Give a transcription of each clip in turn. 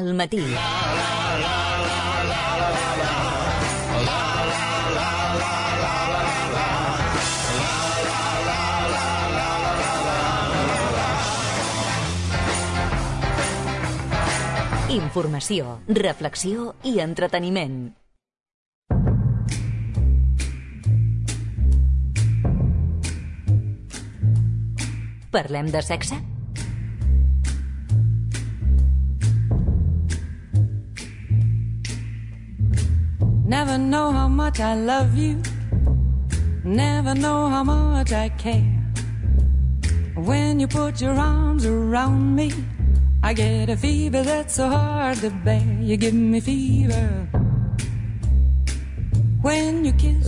al matí. Informació, reflexió i entreteniment. Parlem de sexe? Never know how much I love you. Never know how much I care. When you put your arms around me, I get a fever that's so hard to bear. You give me fever.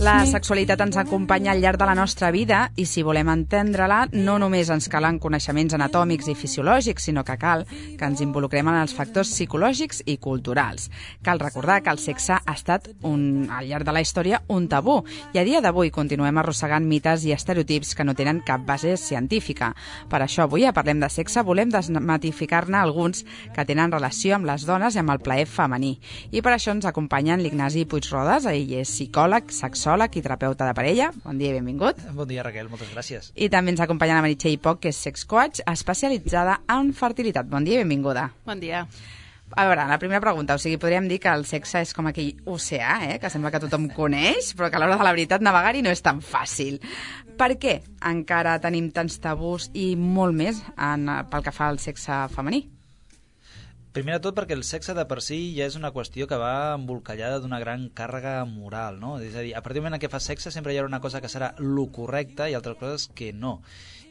La sexualitat ens acompanya al llarg de la nostra vida i si volem entendre-la no només ens calen coneixements anatòmics i fisiològics, sinó que cal que ens involucrem en els factors psicològics i culturals. Cal recordar que el sexe ha estat, al llarg de la història, un tabú i a dia d'avui continuem arrossegant mites i estereotips que no tenen cap base científica. Per això avui a Parlem de Sexe volem desmitificar-ne alguns que tenen relació amb les dones i amb el plaer femení. I per això ens acompanyen l'Ignasi Puigrodes, ell és psicòleg, sexòleg i terapeuta de parella. Bon dia i benvingut. Bon dia, Raquel, moltes gràcies. I també ens acompanya la Meritxell Poch, que és sexcoach especialitzada en fertilitat. Bon dia i benvinguda. Bon dia. A veure, la primera pregunta, podríem dir que el sexe és com aquell oceà, que sembla que tothom coneix, però que a l'hora de la veritat navegar-hi no és tan fàcil. Per què encara tenim tants tabús i molt més pel que fa al sexe femení? Primer de tot perquè el sexe de per si ja és una qüestió que va embolcallada d'una gran càrrega moral, no? És a dir, a partir del moment en què fas sexe sempre hi haurà una cosa que serà lo correcte i altres coses que no.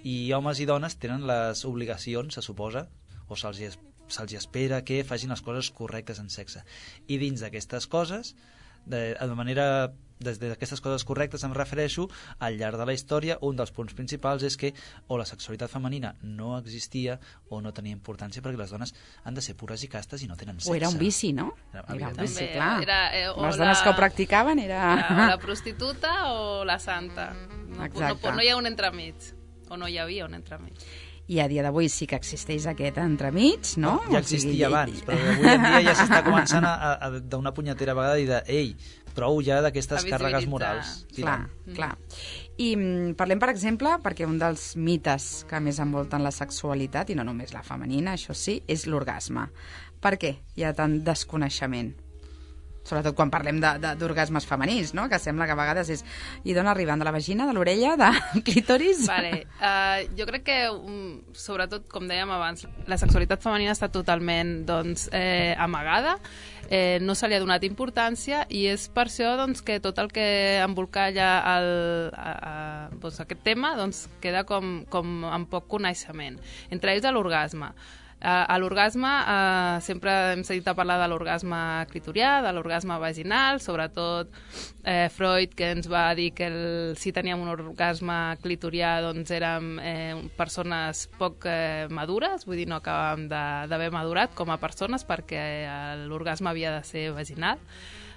I homes i dones tenen les obligacions, se suposa, o se'ls espera que facin les coses correctes en sexe. I dins d'aquestes coses, des d'aquestes coses correctes em refereixo, al llarg de la història, un dels punts principals és que o la sexualitat femenina no existia o no tenia importància perquè les dones han de ser pures i castes i no tenen sexe. O era un vici, no? Era un vici, vici, clar. Les dones que ho practicaven era... La prostituta o la santa. No hi ha un entremig. O no hi havia un entremig. I a dia d'avui sí que existeix aquest entremig, no? Ja existia abans, però avui en dia ja s'està començant d'una punyetera vegada i ei, prou ja d'aquestes càrregues morals. Clar. I parlem, per exemple, perquè un dels mites que més envolten la sexualitat, i no només la femenina, això sí, és l'orgasme. Per què hi ha tant desconeixement? Sobretot quan parlem d'orgasmes femenins, no? Que sembla que a vegades és... I d'on arriben? De la vagina, de l'orella, de clítoris? Vale. Jo crec que, sobretot, com dèiem abans, la sexualitat femenina està totalment amagada, no se li ha donat importància i és per això que tot el que embolcalla aquest tema queda com amb poc coneixement. Entre ells l'orgasme. A l'orgasme sempre hem sentit a parlar de l'orgasme clitorià, de l'orgasme vaginal, sobretot Freud, que ens va dir que si teníem un orgasme clitorià érem persones poc madures, vull dir, no acabàvem d'haver madurat com a persones perquè l'orgasme havia de ser vaginal.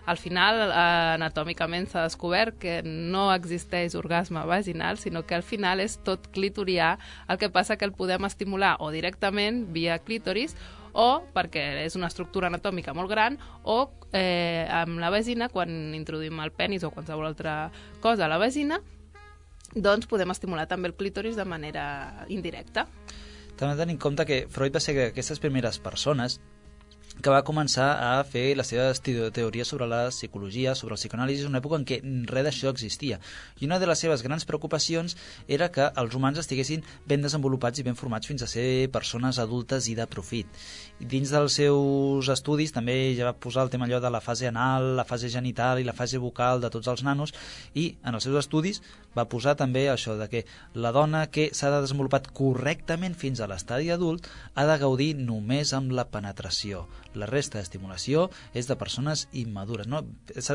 Al final, anatòmicament s'ha descobert que no existeix orgasme vaginal, sinó que al final és tot clitorià, el que passa que el podem estimular o directament via clítoris o perquè és una estructura anatòmica molt gran o amb la vagina, quan introduïm el penis o qualsevol altra cosa a la vagina, doncs podem estimular també el clítoris de manera indirecta. També tenint en compte que Freud va ser d'aquestes primeres persones que va començar a fer les seves teories sobre la psicologia, sobre el psicoanàlisi, en una època en què res d'això existia. I una de les seves grans preocupacions era que els humans estiguessin ben desenvolupats i ben formats fins a ser persones adultes i de profit. I dins dels seus estudis també ja va posar el tema allò de la fase anal, la fase genital i la fase bucal de tots els nanos, i en els seus estudis va posar també això de que la dona que s'ha desenvolupat correctament fins a l'estadi adult ha de gaudir només amb la penetració. La resta d'estimulació és de persones immadures, no?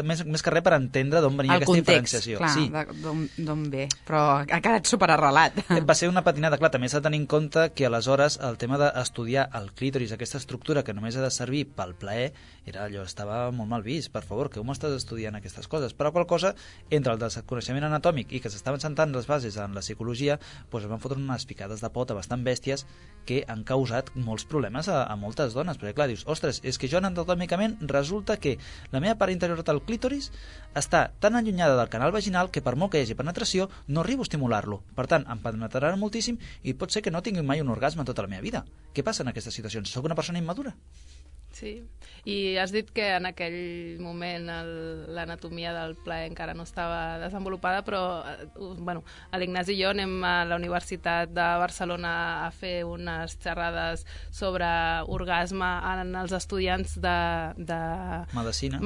Més que res per entendre d'on venia aquesta diferenciació. El context, clar, d'on ve, però ha quedat superarrelat. Va ser una patinada, clar, també s'ha de tenir en compte que aleshores el tema d'estudiar el clítoris, aquesta estructura que només ha de servir pel plaer, estava molt mal vist, per favor, que com estàs estudiant aquestes coses? Però qual cosa, entre el desconeixement anatòmic i que s'estaven sentant les bases en la psicologia, es van fotre unes picades de pota bastant bèsties que han causat molts problemes a moltes dones, perquè clar, dius, ostres, ostres, és que jo anatomicament resulta que la meva part interior del clítoris està tan allunyada del canal vaginal que per molt que hi hagi penetració no arribo a estimular-lo. Per tant, em penetrarà moltíssim i pot ser que no tingui mai un orgasme en tota la meva vida. Què passa en aquestes situacions? Soc una persona immadura? Sí, i has dit que en aquell moment l'anatomia del plaer encara no estava desenvolupada, però bueno, l'Ignasi i jo anem a la Universitat de Barcelona a fer unes xerrades sobre orgasme en els estudiants de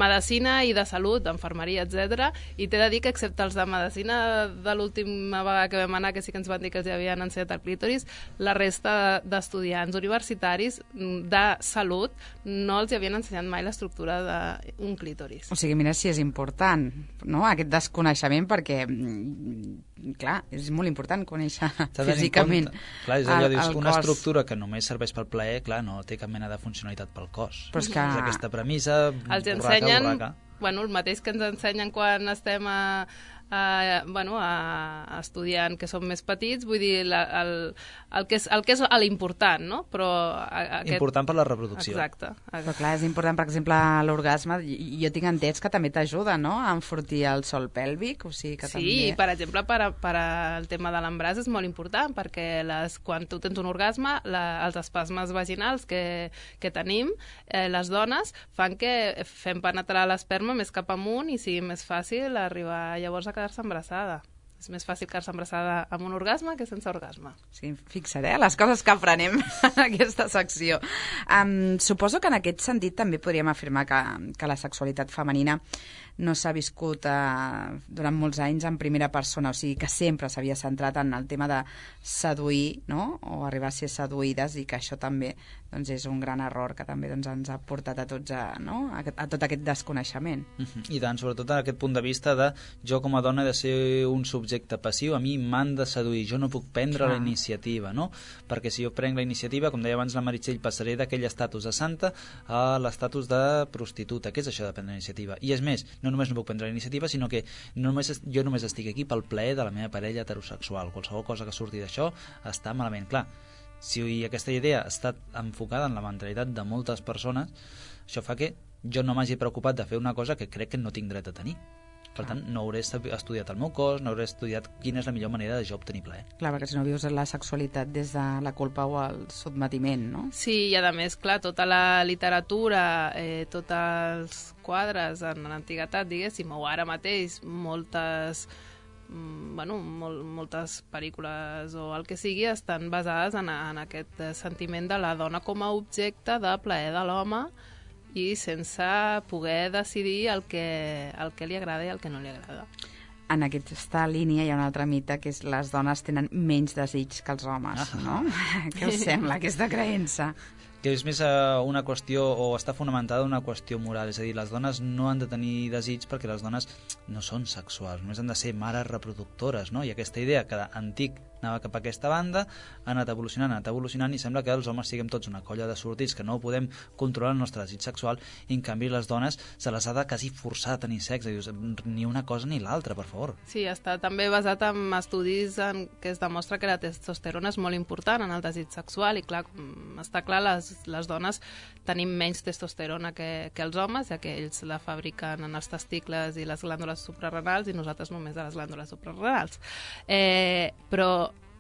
medicina i de salut, d'enfermeria, etc. I t'he de dir que, excepte els de medicina de l'última vegada que vam anar, que sí que ens van dir que els havien ensenyat el clítoris, la resta d'estudiants universitaris de salut no els havien ensenyat mai l'estructura d'un clítoris. O sigui, mira si és important, no?, aquest desconeixement, perquè, clar, és molt important conèixer físicament clar, és allò, dius, una estructura que només serveix pel plaer, clar, no té cap mena de funcionalitat pel cos. Però és que... És aquesta premissa, els ensenyen, bueno, el mateix que ens ensenyen quan estem estudiant, que som més petits, vull dir, el que és l'important, no? Però important per la reproducció. Exacte. Però clar, és important, per exemple, l'orgasme, jo tinc entès que també t'ajuda, no?, a enfortir el sòl pèlvic, o sigui que també... Sí, per exemple, per al tema de l'embràs és molt important, perquè quan tu tens un orgasme, els espasmes vaginals que tenim, les dones, fan que fem penetrar l'esperma més cap amunt i sigui més fàcil arribar llavors a quedar-se embarassada. És més fàcil quedar-se embarassada amb un orgasme que sense orgasme. Sí, fixa't, les coses que aprenem en aquesta secció. Suposo que en aquest sentit també podríem afirmar que la sexualitat femenina no s'ha viscut durant molts anys en primera persona, o sigui que sempre s'havia centrat en el tema de seduir, no?, o arribar a ser seduïdes, i que això també doncs, és un gran error que també doncs, ens ha portat a tots a tot aquest desconeixement. I tant, sobretot en aquest punt de vista de jo com a dona he de ser un subjecte passiu, a mi m'han de seduir, jo no puc prendre la iniciativa, no? Perquè si jo prenc la iniciativa, com deia abans la Meritxell, passaré d'aquell estatus de santa a l'estatus de prostituta. Què és això de prendre la iniciativa? I és més, no només no puc prendre la iniciativa, sinó que jo només estic aquí pel plaer de la meva parella heterosexual. Qualsevol cosa que surti d'això està malament. Clar, si aquesta idea està enfocada en la mentalitat de moltes persones, això fa que jo no m'hagi preocupat de fer una cosa que crec que no tinc dret a tenir. Per tant, no hauré estudiat el meu cos, no hauré estudiat quina és la millor manera de jo obtenir plaer. Clar, perquè si no vius la sexualitat des de la culpa o el sotmetiment, no? Sí, i a més, clar, tota la literatura, tots els quadres en l'antiguitat, diguéssim, o ara mateix, moltes pel·lícules o el que sigui estan basades en aquest sentiment de la dona com a objecte de plaer de l'home, i sense poder decidir el que li agrada i el que no li agrada. En aquesta línia hi ha un altre mite, que és les dones tenen menys desig que els homes, no? Què us sembla, aquesta creença? Que és més una qüestió, o està fonamentada una qüestió moral, és a dir, les dones no han de tenir desig perquè les dones no són sexuals, només han de ser mares reproductores, no? I aquesta idea que d'antic anava cap a aquesta banda, ha anat evolucionant i sembla que els homes siguem tots una colla de sortits que no podem controlar el nostre desig sexual, i en canvi les dones se les ha de quasi forçar a tenir sexe, dius, ni una cosa ni l'altra, per favor. Sí, està també basat en estudis en què es demostra que la testosterona és molt important en el desig sexual, i clar, està clar, les dones tenim menys testosterona que els homes, ja que ells la fabriquen en els testicles i les glàndules suprarrenals i nosaltres només a les glàndules suprarrenals. Però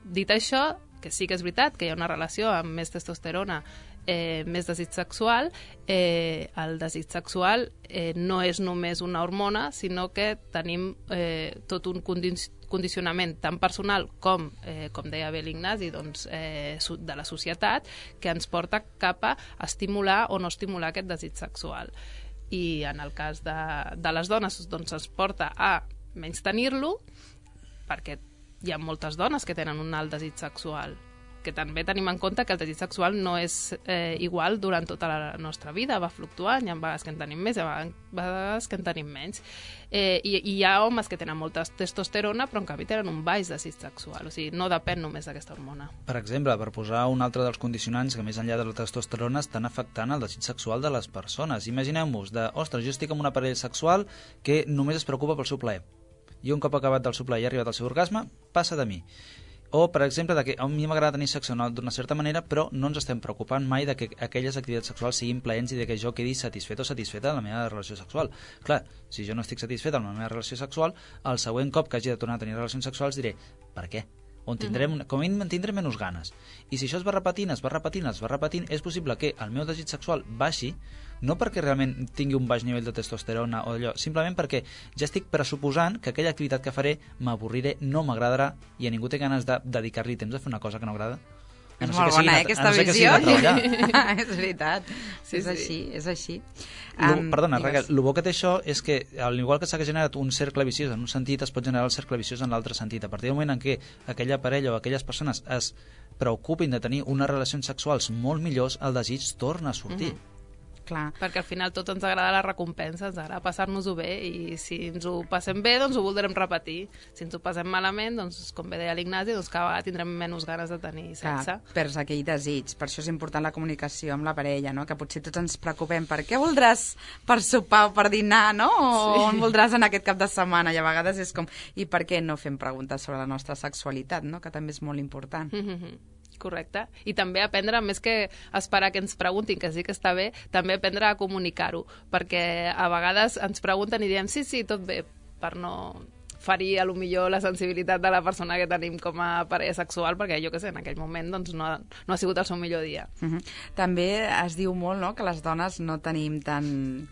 dit això, que sí que és veritat que hi ha una relació amb més testosterona, més desig sexual, el desig sexual no és només una hormona, sinó que tenim tot un condicionament tan personal com deia bé l'Ignasi, doncs, de la societat, que ens porta cap a estimular o no estimular aquest desig sexual. I en el cas de les dones, doncs, ens porta a menys tenir-lo, perquè hi ha moltes dones que tenen un alt desig sexual, que també tenim en compte que el desig sexual no és igual durant tota la nostra vida, va fluctuant, hi ha vegades que en tenim més, hi ha vegades que en tenim menys. I hi ha homes que tenen molta testosterona, però en canvi tenen un baix desig sexual, o sigui, no depèn només d'aquesta hormona. Per exemple, per posar un altre dels condicionants que més enllà de la testosterona estan afectant el desig sexual de les persones. Imagineu-vos ostres, jo estic amb una parella sexual que només es preocupa pel seu plaer. I un cop acabat del seu plaer i arribat al seu orgasme, passa de mi. O, per exemple, que a mi m'agrada tenir sexe d'una certa manera, però no ens estem preocupant mai de que aquelles activitats sexuals siguin plaents i de que jo quedi satisfet o satisfeta de la meva relació sexual. Clar, si jo no estic satisfet amb la meva relació sexual, el següent cop que hagi de tornar a tenir relacions sexuals diré, per què? On tindrem, com a mínim en tindrem menys ganes. I si això es va repetint, és possible que el meu desig sexual baixi, no perquè realment tingui un baix nivell de testosterona o allò, simplement perquè ja estic pressuposant que aquella activitat que faré m'avorriré, no m'agradarà i a ningú té ganes de dedicar-li temps a fer una cosa que no agrada. És molt bona, aquesta visió. És veritat, és així. Perdona, Raquel, el bo que té això és que, al igual que s'ha generat un cercle viciós en un sentit, es pot generar el cercle viciós en l'altre sentit. A partir del moment en què aquella parella o aquelles persones es preocupin de tenir unes relacions sexuals molt millors, el desig torna a sortir. Clar. Perquè al final tot ens agrada la recompensa, ens agrada passar-nos-ho bé i si ens ho passem bé, doncs ho voldrem repetir. Si ens ho passem malament, doncs com bé deia l'Ignasi, doncs cada vegada tindrem menys ganes de tenir sexe. Perds aquell desig, per això és important la comunicació amb la parella, no? Que potser tots ens preocupem per què voldràs per sopar o per dinar, no? O on voldràs en aquest cap de setmana, i a vegades és com, i per què no fem preguntes sobre la nostra sexualitat, no? Que també és molt important. Correcte. I també aprendre, més que esperar que ens preguntin, que sí que està bé, també aprendre a comunicar-ho, perquè a vegades ens pregunten i diem sí, tot bé, per no ferir a lo millor la sensibilitat de la persona que tenim com a parella sexual, perquè jo que sé, en aquell moment doncs, no ha sigut el seu millor dia. També es diu molt, no?, que les dones no tenim tant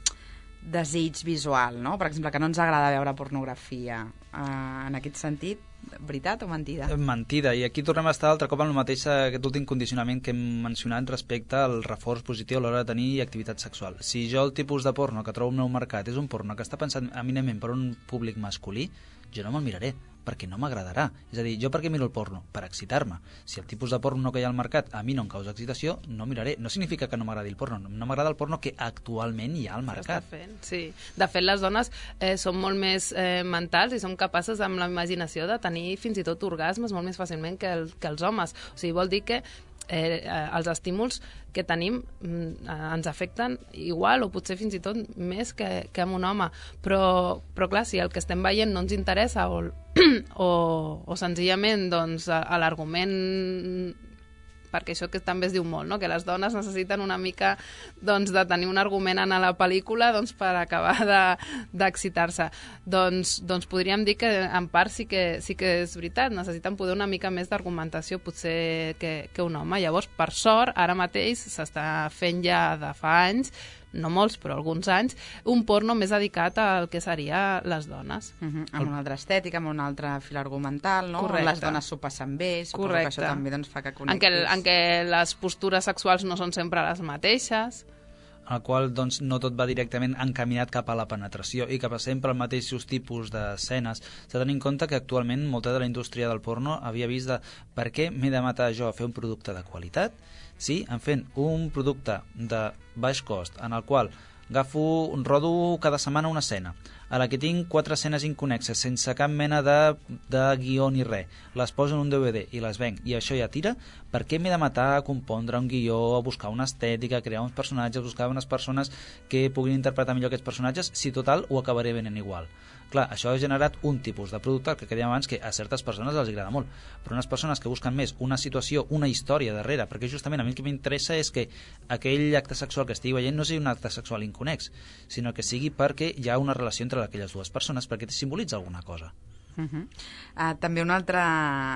desig visual, no? Per exemple, que no ens agrada veure pornografia. En aquest sentit, veritat o mentida? Mentida, i aquí tornem a estar altre cop amb el mateix, aquest últim condicionament que hem mencionat respecte al reforç positiu a l'hora de tenir activitat sexual. Si jo el tipus de porno que trobo al meu mercat és un porno que està pensat eminentment per un públic masculí, jo no me'l miraré, perquè no m'agradarà. És a dir, jo per què miro el porno? Per excitar-me. Si el tipus de porno que hi ha al mercat a mi no em causa excitació, no miraré. No significa que no m'agradi el porno, no m'agrada el porno que actualment hi ha al mercat. Sí. De fet, les dones són molt més mentals i som capaces amb la imaginació de tenir fins i tot orgasmes molt més fàcilment que els homes. O sigui, vol dir que els estímuls que tenim ens afecten igual o potser fins i tot més que amb un home, però clar, si el que estem veient no ens interessa o senzillament doncs, l'argument, perquè això que també es diu molt, no? Que les dones necessiten una mica doncs, de tenir un argument en la pel·lícula doncs, per acabar d'excitar-se. Doncs podríem dir que en part sí que és veritat, necessiten poder una mica més d'argumentació potser que un home. Llavors, per sort, ara mateix s'està fent ja de fa anys, no molts, però alguns anys, un porno més dedicat al que seria les dones. Amb una altra estètica, amb un altre fil argumental, no? Correcte. Les dones s'ho passen bé, suposo que això també doncs, fa que connectis. En què les postures sexuals no són sempre les mateixes. En el qual doncs, no tot va directament encaminat cap a la penetració i cap a sempre els mateixos tipus d'escenes. S'ha de tenir en compte que actualment molta de la indústria del porno havia vist de per què m'he de matar jo a fer un producte de qualitat si em fent un producte de baix cost en el qual rodo cada setmana una escena a la que tinc 4 escenes inconnexes sense cap mena de guió ni res, les poso en un DVD i les venc i això ja tira, per què m'he de matar a compondre un guió, a buscar una estètica, a crear uns personatges, buscar unes persones que puguin interpretar millor aquests personatges si total ho acabaré venent igual? Clar, això ha generat un tipus de producte que dèiem abans que a certes persones els agrada molt, però unes persones que busquen més una situació, una història darrere, perquè justament a mi el que m'interessa és que aquell acte sexual que estigui veient no sigui un acte sexual inconnex, sinó que sigui perquè hi ha una relació entre aquelles dues persones, perquè simbolitza alguna cosa. També un altre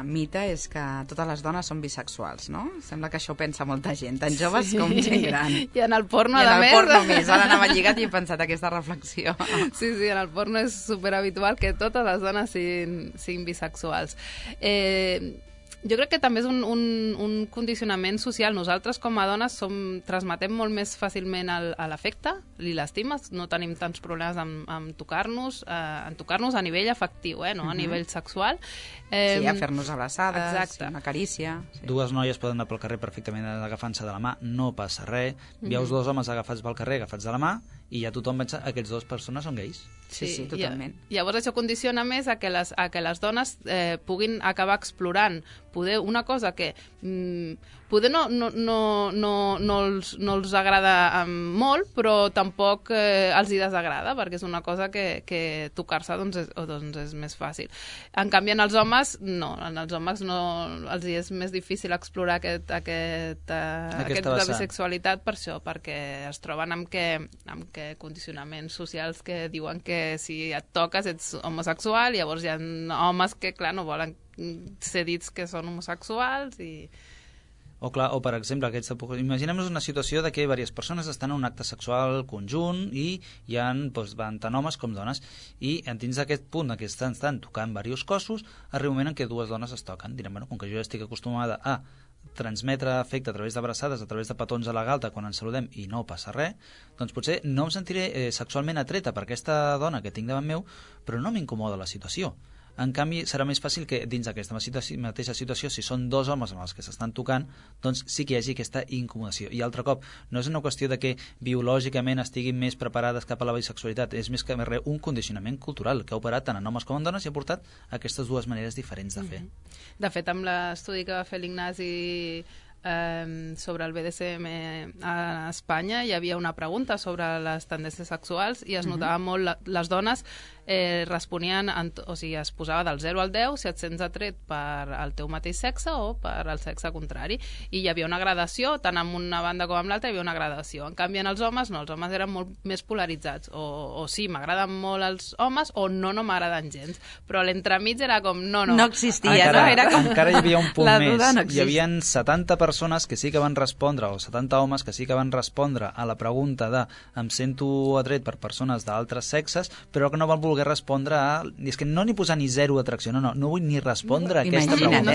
mite és que totes les dones són bisexuals, no? Sembla que això ho pensa molta gent, tant joves com gent gran. I en el porno, a més. I en el porno més. Ara anava lligat i he pensat aquesta reflexió. Sí, en el porno és superhabitual que totes les dones siguin bisexuals. Jo crec que també és un condicionament social. Nosaltres, com a dones, transmetem molt més fàcilment l'afecte i l'estima. No tenim tants problemes en tocar-nos a nivell afectiu, no a nivell sexual. Sí, a fer-nos abraçades, exacte. Una carícia. Sí. Dues noies poden anar pel carrer perfectament agafant-se de la mà, no passa res. Veus dos homes agafats pel carrer, agafats de la mà, i ja tothom pensa que aquests dues persones són gais. Sí, totalment. Llavors això condiciona més a que les dones puguin acabar explorant poder una cosa que poder no els agrada molt, però tampoc els hi desagrada, perquè és una cosa que tocar-se doncs és més fàcil. En canvi, en els homes, no. En els homes no, els hi és més difícil explorar aquesta bisexualitat per això, perquè es troben amb que condicionaments socials que diuen que si et toques ets homosexual, llavors hi ha homes que, clar, no volen ser dits que són homosexuals i... O per exemple, imaginem-nos una situació de que diverses persones estan en un acte sexual conjunt i hi ha van tant homes com dones i dins d'aquest punt que estan tocant diversos cossos, arriba un moment en què dues dones es toquen. Direm, com que jo estic acostumada a transmetre afecte a través d'abraçades, a través de petons a la galta quan ens saludem i no passa res, doncs potser no em sentiré sexualment atreta per aquesta dona que tinc davant meu, però no m'incomoda la situació. En canvi, serà més fàcil que dins d'aquesta mateixa situació, si són dos homes amb els que s'estan tocant, doncs sí que hi hagi aquesta incomodació. I altre cop, no és una qüestió de que biològicament estiguin més preparades cap a la bisexualitat, és més que res un condicionament cultural que ha operat tant en homes com en dones i ha portat aquestes dues maneres diferents de fer. De fet, amb l'estudi que va fer l'Ignasi sobre el BDSM a Espanya hi havia una pregunta sobre les tendències sexuals i es notava molt les dones responien, o sigui, es posava del 0 al 10 si et sents atret per al teu mateix sexe o per al sexe contrari, i hi havia una gradació, tant en una banda com en l'altra hi havia una gradació. En canvi, en els homes no, els homes eren molt més polaritzats, o sí, m'agraden molt els homes o no m'agraden gens, però l'entremig era com no existia, encara, no? Era com... encara hi havia un punt més, no hi havia 70 persones que sí que van respondre, o 70 homes que sí que van respondre a la pregunta de em sento atret per persones d'altres sexes, però que no van voler respondre a... És que no ni posar ni zero atracció, no vull ni respondre a aquesta pregunta.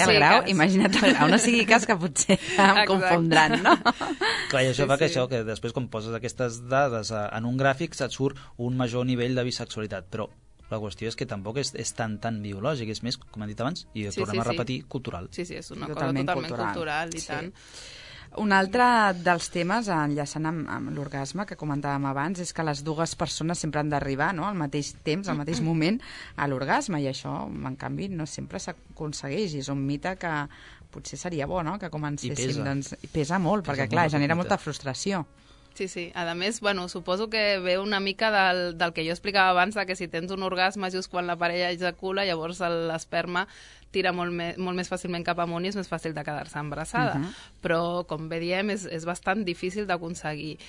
Imagina't el grau, no sigui cas que potser em confondran, no? Clar, i això fa que després quan poses aquestes dades en un gràfic et surt un major nivell de bisexualitat, però la qüestió és que tampoc és tan biològic, és més, com hem dit abans, i tornem a repetir, cultural. Sí, és una cosa totalment cultural i tant. Un altre dels temes, enllaçant amb l'orgasme que comentàvem abans, és que les dues persones sempre han d'arribar, no?, al mateix temps, al mateix moment, a l'orgasme, i això, en canvi, no sempre s'aconsegueix, i és un mite que potser seria bo, no?, que comencéssim. I pesa molt, perquè, clar, genera molta frustració. Sí. A més, suposo que ve una mica del que jo explicava abans, de que si tens un orgasme just quan la parella ejacula, llavors l'esperma tira molt més fàcilment cap amunt i és més fàcil de quedar-se embarassada. Però, com bé diem, és bastant difícil d'aconseguir.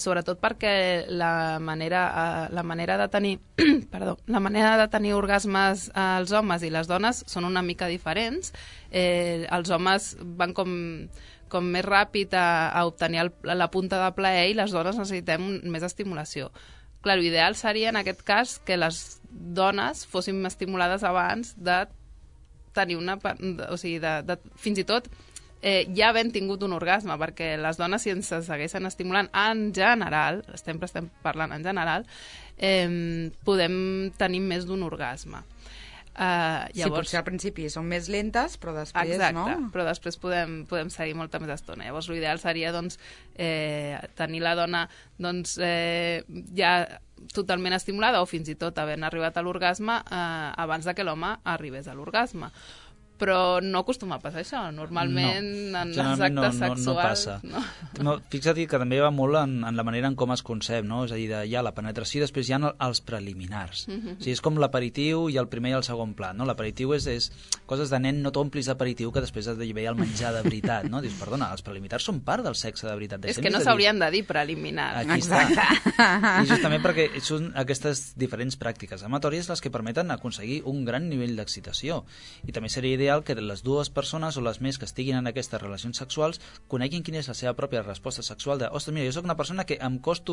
Sobretot perquè la manera de tenir la manera de tenir orgasmes als homes i les dones són una mica diferents. Els homes van com més ràpid a obtenir la punta de plaer i les dones necessitem més estimulació. Clar, l'ideal seria, en aquest cas, que les dones fossin estimulades abans de tenir o sigui, fins i tot ja havent tingut un orgasme, perquè les dones, si ens segueixen estimulant en general, sempre estem parlant en general, podem tenir més d'un orgasme. Llavors, sí, potser al principi són més lentes, però després però després podem seguir molta més estona. Llavors l'ideal seria tenir la dona ja totalment estimulada o fins i tot havent arribat a l'orgasme abans de que l'home arribés a l'orgasme. Però no acostuma a passar això. Normalment en els actes sexuals... No passa. Fixa't que també va molt en la manera en com es concep, no? És a dir, hi ha la penetració i després hi ha els preliminars. O sigui, és com l'aperitiu i el primer i el segon plat, no? L'aperitiu és coses de nen, no t'omplis d'aperitiu que després has de veure el menjar de veritat, no? Dius, perdona, els preliminars són part del sexe de veritat. És que no s'haurien de dir preliminars. Aquí està. I justament perquè són aquestes diferents pràctiques amatòries les que permeten aconseguir un gran nivell d'excitació. I també seria ideal que les dues persones o les més que estiguin en aquestes relacions sexuals coneguin quina és la seva pròpia resposta sexual de, ostres, mira, jo soc una persona que em costa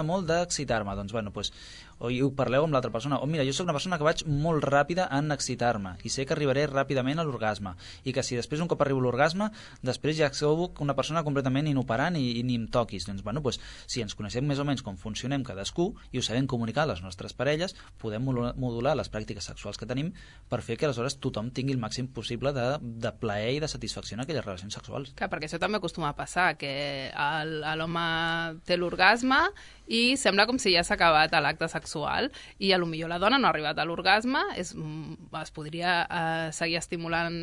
molt d'excitar-me, doncs, o ho parleu amb l'altra persona, o mira, jo soc una persona que vaig molt ràpida en excitar-me i sé que arribaré ràpidament a l'orgasme i que si després un cop arribo a l'orgasme, després ja sóc una persona completament inoperant i ni em toquis. Doncs, si ens coneixem més o menys com funcionem cadascú i ho sabem comunicar a les nostres parelles, podem modular les pràctiques sexuals que tenim per fer que aleshores tothom tingui el màxim possible de plaer i de satisfacció en aquelles relacions sexuals. Clar, perquè això també acostuma a passar, que l'home té l'orgasme i sembla com si ja s'ha acabat l'acte sexual i potser la dona no ha arribat a l'orgasme, es podria seguir estimulant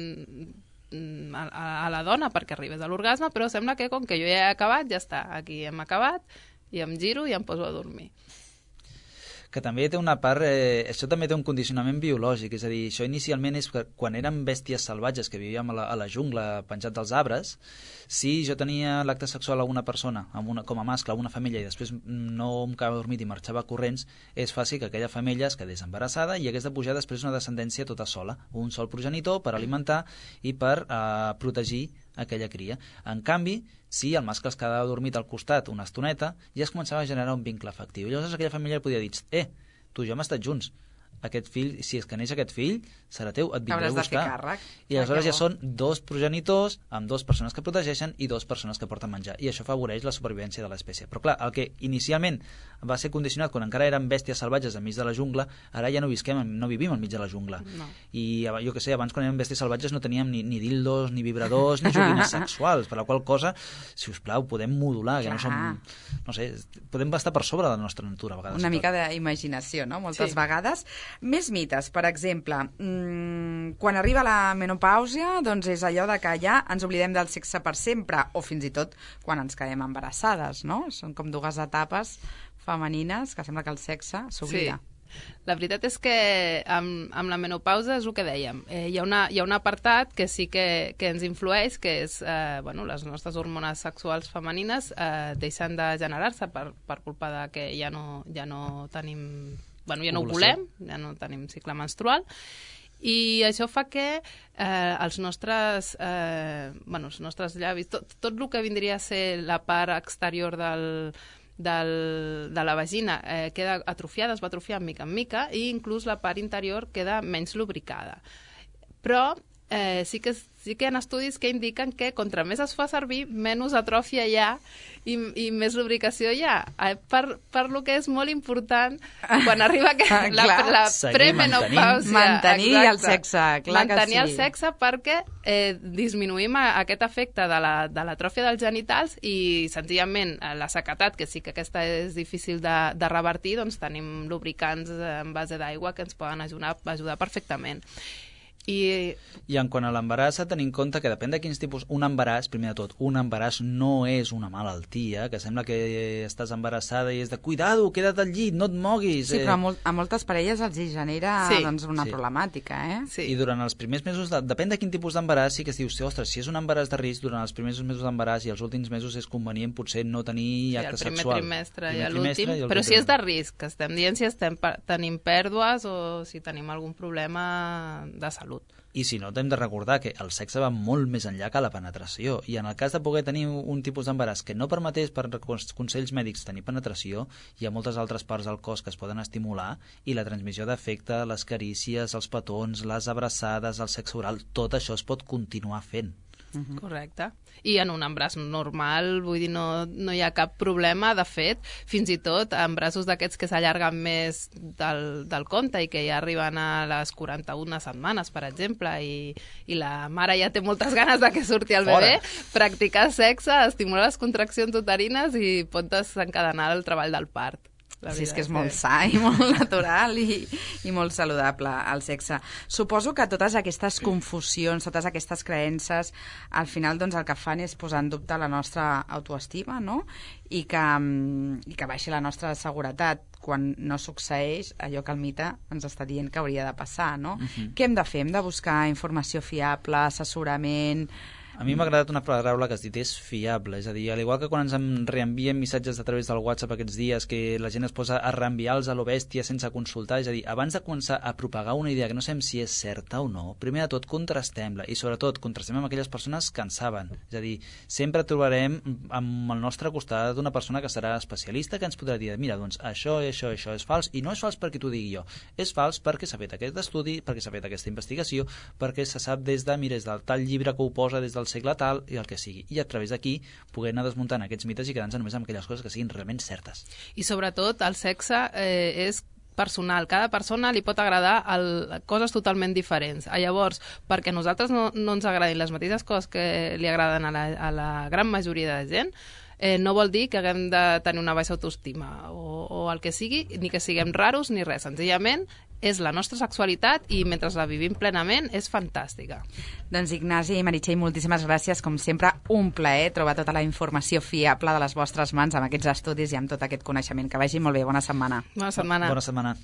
a la dona perquè arribés a l'orgasme, però sembla que com que jo ja he acabat, ja està, aquí hem acabat, i em giro i em poso a dormir. Que també té una part... això també té un condicionament biològic, és a dir, això inicialment és que quan érem bèsties salvatges que vivíem a la jungla penjat dels arbres, si jo tenia l'acte sexual amb una persona, com a mascle, amb una femella, i després no em quedava dormit i marxava corrents, és fàcil que aquella femella es quedés embarassada i hagués de pujar després una descendència tota sola, un sol progenitor per alimentar i per protegir aquella cria. En canvi, si el mascle es quedava dormit al costat una estoneta, ja es començava a generar un vincle afectiu. I llavors aquella família podia dir, tu i jo hem estat junts, aquest fill, si és que neix aquest fill, serà teu, et vindré a buscar. I aleshores ja són 2 progenitors amb 2 persones que protegeixen i 2 persones que porten menjar. I això afavoreix la supervivència de l'espècie. Però clar, el que inicialment va ser condicionat quan encara érem bèsties salvatges enmig de la jungla, ara ja no vivim enmig de la jungla. No. I jo que sé, abans quan érem bèsties salvatges no teníem ni dildos, ni vibradors, ni joguines sexuals, per la qual cosa, si us plau, podem modular, que no som... No sé, podem estar per sobre de la nostra natura a vegades. Una mica d'imaginació, no? Moltes vegades. Més mites, per exemple, quan arriba la menopàusia, doncs és allò de que ja ens oblidem del sexe per sempre, o fins i tot quan ens quedem embarassades, no? Són com 2 etapes femenines que sembla que el sexe s'oblida. Sí. La veritat és que amb la menopausa és el que dèiem. Hi ha un apartat que sí que ens influeix, que és les nostres hormones sexuals femenines deixen de generar-se per culpa de que ja no tenim... ja no ho volem, ja no tenim cicle menstrual, i això fa que els nostres llavis, tot el que vindria a ser la part exterior de la vagina queda atrofiada, es va atrofiar mica en mica, i inclús la part interior queda menys lubricada. Però sí que hi ha estudis que indiquen que contra més es fa servir, menys atròfia hi ha i més lubricació hi ha. Per lo que és molt important quan arriba la premenopàusia. Mantenir el sexe, clar que sí. Mantenir el sexe perquè disminuïm aquest efecte de l'atròfia dels genitals i senzillament la sequetat, que sí que aquesta és difícil de revertir, doncs tenim lubricants en base d'aigua que ens poden ajudar perfectament. I en quant a l'embaràs, tenir en compte que depèn de quins tipus... Un embaràs, primer de tot, un embaràs no és una malaltia, que sembla que estàs embarassada i és de cuidado, queda't al llit, no et moguis. Sí, però a moltes parelles els hi genera una problemàtica, Sí. I durant els primers mesos, depèn de quin tipus d'embaràs, sí que es diu, ostres, si és un embaràs de risc, durant els primers mesos d'embaràs i els últims mesos és convenient potser no tenir acte sexual. El primer trimestre i l'últim, però si és de risc, que estem dient si tenim pèrdues o si tenim algun problema de salut. I si no, hem de recordar que el sexe va molt més enllà que la penetració, i en el cas de poder tenir un tipus d'embaràs que no permetés per consells mèdics tenir penetració, hi ha moltes altres parts del cos que es poden estimular, i la transmissió d'afecte, les carícies, els petons, les abraçades, el sexe oral, tot això es pot continuar fent. Correcte. I en un embràs normal, vull dir, no hi ha cap problema. De fet, fins i tot embrassos d'aquests que s'allarguen més del compte i que ja arriben a les 41 setmanes, per exemple, i la mare ja té moltes ganes de que surti el bebè, practicar sexe estimula les contraccions uterines i pot desencadenar el treball del part. Sí, és que és molt sa i molt natural i molt saludable el sexe. Suposo que totes aquestes confusions, totes aquestes creences, al final doncs, el que fan és posar en dubte la nostra autoestima, no? I que baixi la nostra seguretat quan no succeeix allò que el mite ens està dient que hauria de passar, no? Què hem de fer? Hem de buscar informació fiable, assessorament... A mi m'ha agradat una paraula que has dit, és fiable. És a dir, al igual que quan ens reenvien missatges a través del WhatsApp aquests dies, que la gent es posa a reenviar-los a lo bèstia sense consultar, és a dir, abans de començar a propagar una idea que no sabem si és certa o no, primer de tot contrastem-la, i sobretot contrastem amb aquelles persones que en saben. És a dir, sempre trobarem amb el nostre costat una persona que serà especialista, que ens podrà dir, mira, doncs això és fals, i no és fals perquè t'ho digui jo, és fals perquè s'ha fet aquest estudi, perquè s'ha fet aquesta investigació, perquè se sap des del tal llibre que ho posa des del segle tal i el que sigui, i a través d'aquí poder anar desmuntant aquests mites i quedant-se només amb aquelles coses que siguin realment certes. I sobretot el sexe és personal, cada persona li pot agradar coses totalment diferents. Llavors, perquè a nosaltres no ens agradin les mateixes coses que li agraden a la gran majoria de gent, no vol dir que haguem de tenir una baixa autoestima o el que sigui, ni que siguem raros ni res. Senzillament és la nostra sexualitat i mentre la vivim plenament és fantàstica. Doncs Ignasi i Meritxell, moltíssimes gràcies. Com sempre, un plaer trobar tota la informació fiable de les vostres mans amb aquests estudis i amb tot aquest coneixement. Que vagi molt bé. Bona setmana. Bona setmana. Bona setmana.